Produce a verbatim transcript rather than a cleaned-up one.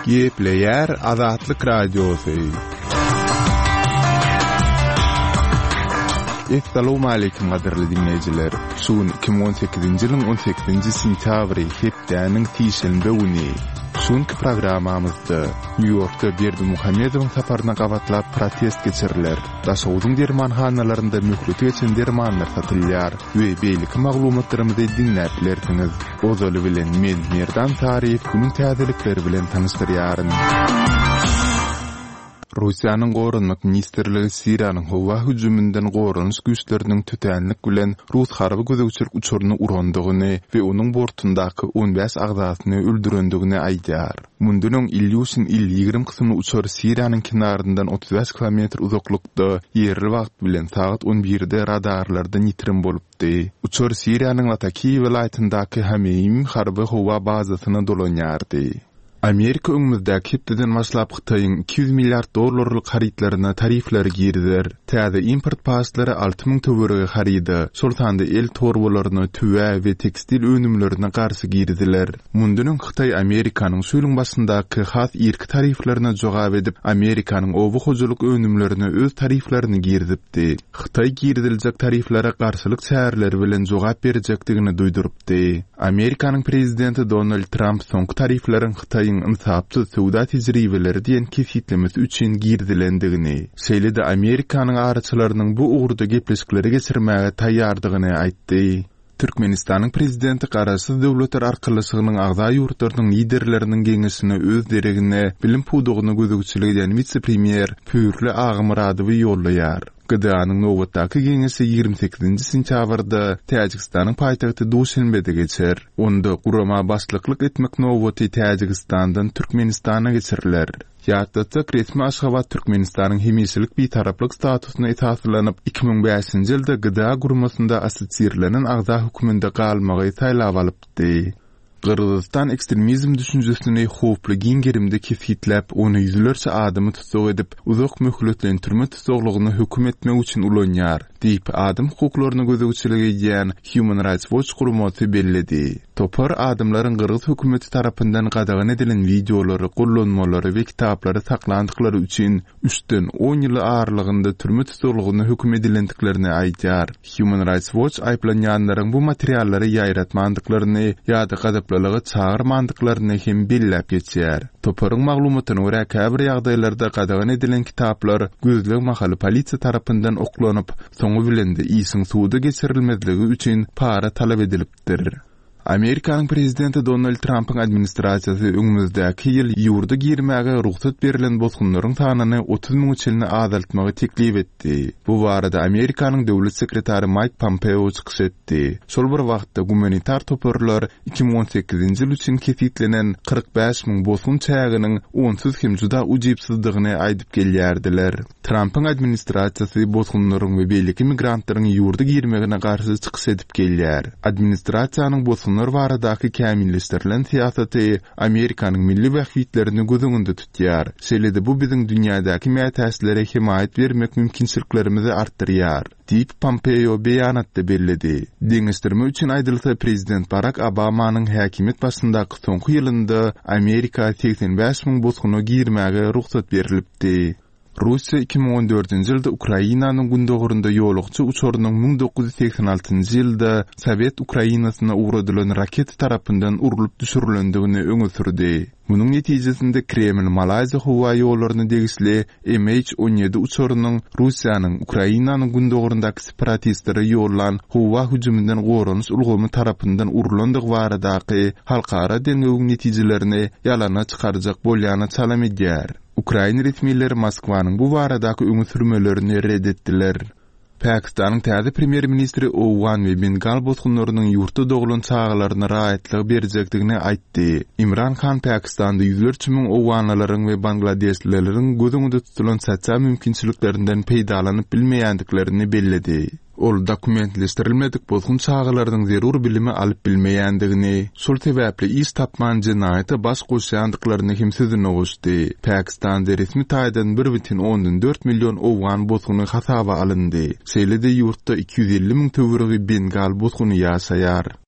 Gepleýär Azatlyk Radiosy. Essalawmaleýkim gadyrly diňleýjiler! Şu gün iki müň on sekizinji ýylyň on sekizinji sentýabry, hepdäniň sişenbe güni. Şu günki programmamyzda Nýu-Ýorkda Berdimuhamedowyň saparyna gabatlap protest geçiriler, Daşoguzyň dermanhanalarynda möhleti geçen dermanlar satylýar we beýleki maglumatlarymyzy diňläp bilersiňiz. Ozaly bilen men, Merdan Saryýew günüň täzelikleri bilen tanyşdyrýaryn. Russiýanyň Goranmak ministrligi Siriýanyň howa hüjüminden goranyş güýçleriniň tötänlik bilen rus harby gözegçilik uçaryny urandygyny we onuň bortundaky on bäş agzasyny öldürendigini aýdýar. Mundan öň Ilýuşin Il ýigrimi kysymly uçar Siriýanyň kenaryndan otuz bäş kilometr uzaklykda ýerli wagt bilen sagat on birde radarlardan ýitirim bolupdy. Uçar Siriýanyň Latakiýa welaýatyndaky Hameýim harby howa bazasyna dolanýardy. Amerika öňümizdäki hepdeden başlap Hytaýyň iki ýüz milliard dollarlyk harytlaryna tarifleri girizer. Täze import paçlary alty müň töweregi haryda, şol sanda el torbalaryna, tüwä we tekstil önümlerine garşy giriziler. Mundan öň Hytaý Amerikanyň şu ýylyň başyndaky has irki tariflerine jogap edip, Amerikanyň oba hojalyk önümlerine öz tariflerini girizipdi. Hytaý giriziljek tariflere garşylyk çäreleri bilen jogap berjekdigini duýdurypdy. Amerikanyň prezidenti Donald Tramp soňky tarifleriň Hytaýyň ynsapsyz söwda tejribeleri diýen kesgitlemesi üçin girizilendigini, şeýle-de Amerikanyň araçylarynyň bu ugurda gepleşikleri geçirmäge taýýardygyny aýtdy. Türkmenistanyň prezidenti Garaşsyz Döwletler Arkalaşygynyň agza ýurtlarynyň liderleriniň geňeşine öz deregine bilim pudagyna gözegçilik edýän wise-premýer Pürli Agamyradowy ýollaýar. G D A-nyň nobatdaky geňeşi ýigrimi sekizinji sentýabrda Täjigistanyň paýtagty Duşenbede geçer. Onda gurama başlyklyk etmek nobaty Täjigistandan Türkmenistana geçiriler. Ýatlatsak, resmi Aşgabat Türkmenistanyň hemişelik bitaraplyk statusyna esaslanyp, iki müň bäşinji ýylda G D A guramasynda assosirlenen agza hökmünde galmagy saýlap alypdy. Gyrgyzystan ekstremizm düşünjesini howply giň gerimde kesgitläp, ony ýüzlerçe adamy tussag edip, uzak möhletleýin türme tussaglygyna höküm etmek üçin ulanýar, diýip, adam hukuklaryna gözegçilik edýän Human Rights Watch guramasy belledi. Topar adamlaryň gyrgyz hökümeti tarapyndan gadagan edilen wideolary, gollanmalary we kitaplary saklandyklary üçin üçden on ýyly aralygynda türme tussaglygyna höküm edilendiklerini aýdýar. Human Rights Watch aýyplanýanlaryň bu materiallary ýaýratmandyklaryny ýa-da gazaplylyga çagyrmandyklaryny hem belläp geçýär. Toparyň maglumatyna görä käbir ýagdaýlarda gadagan edilen kitaplar gözleg mahaly polisiýa tarapyndan oklanyp, soňy bilen de işiň suda geçirilmezligi üçin para talap edilipdir. Amerikanyň prezidenti Donald Trumpyň administrasiýasy öňümizdäki ýyl ýurda girmäge rugsat berlen bosgunlaryň sanyny otuz müň çenli azaltmagy teklip etdi. Bu barada Amerikanyň döwlet sekretary Mike Pompeo çykyş etdi. Şol bir wagtda gumanitar toparlar iki müň on sekizinji ýyl üçin kesitlenen kyrk bäş müň bosgun çäginiň onsuz hem juda ujypsyzdygyny aýdyp gelýärdiler. Trumpyň administrasiýasy bosgunlaryň we beýleki migrantlaryň ýurda girmegine garşy çykyş edip gelýär. Administrasiýanyň bosgunlar baradaky kämilleşdirilen syýasaty Amerikanyň milli bähbitlerini göz öňünde tutýar. Şeýle-de bu biziň dünýädäki mätäçlere hemaýat bermek mümkinçiliklerimizi artdyrýar, diýip Pompeo beýanatda belledi. Deňeşdirme üçin aýdylsa, prezident Barack Obamanyň häkimiýet başyndaky soňky ýylynda Amerika seksen bäş müň bosguna girmäge rugsat berilipdi. Russiýa iki müň on dördünji ýylda Ukrainanyň gündogarynda ýolagçy uçarynyň müň dokuz ýüz segsen altynjy ýylda Sowet Ukrainasyna ugradylan raketa tarapyndan urlup düşürilendigini öňe sürdi. Munuň netijesinde Kreml Malaýziýa howa ýollaryna degişli M H on ýedi uçarynyň Russiýanyň Ukrainanyň gündogaryndaky separatistlere ýollan howa hüjüminden goranyş ulgamy tarapyndan urlandygy baradaky halkara derňewiň netijelerini ýalana çykarjak bolýana çalam edýär. Ukraina resmileri Moskwanyň bu baradaky öňe sürmelerini red etdiler. Pakistanyň täze premýer-ministri Owgan we Bengal bosgunlarynyň ýurtda doglan çagalaryna raýatlygy berjekdigini aýtdy. Imran Han Pakistanda ýüzlerçe müň owganlylaryň we bangladeşlileriň göz öňünde tutulan sosial mümkinçiliklerinden peýdalanyp bilmeýändiklerini belledi. Ol dokumentleşdirilmedik bosgun çagalarynyň zerur bilimi alyp bilmeýändigini, şol sebäpli iş tapman jenaýata baş goşýandyklaryny hem sözüne goşdy. Pakistanda resmi taýdan bir bütin ondan dört million owgan bosguny hasaba alyndy. Şeýle-de ýurtda iki ýüz elli müň töweregi Bengal bosguny ýaşaýar.